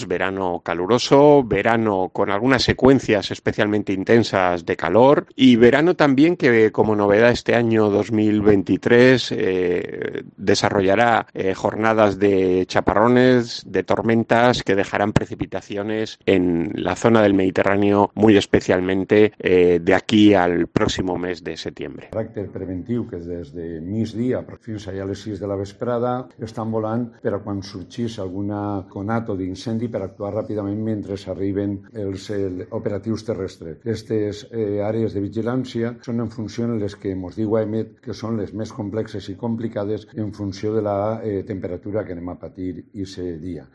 verano caluroso, verano con algunas secuencias especialmente intensas de calor y verano también que como novedad este año 2023 desarrollará jornadas de chaparrones, de tormentas que dejarán precipitaciones en la zona del Mediterráneo muy especialmente de aquí al próximo mes de septiembre. Caràcter preventiu que des de migdia fins allà a les 6 de la vesprada estan volant per a quan sorgís alguna conato d'incendi per actuar ràpidament mentre arriben els operatius terrestres. Aquestes àrees de vigilància són en funció de les que ens diu AEMET que són les més complexes i complicades en funció de la temperatura que anem a patir aquest dia.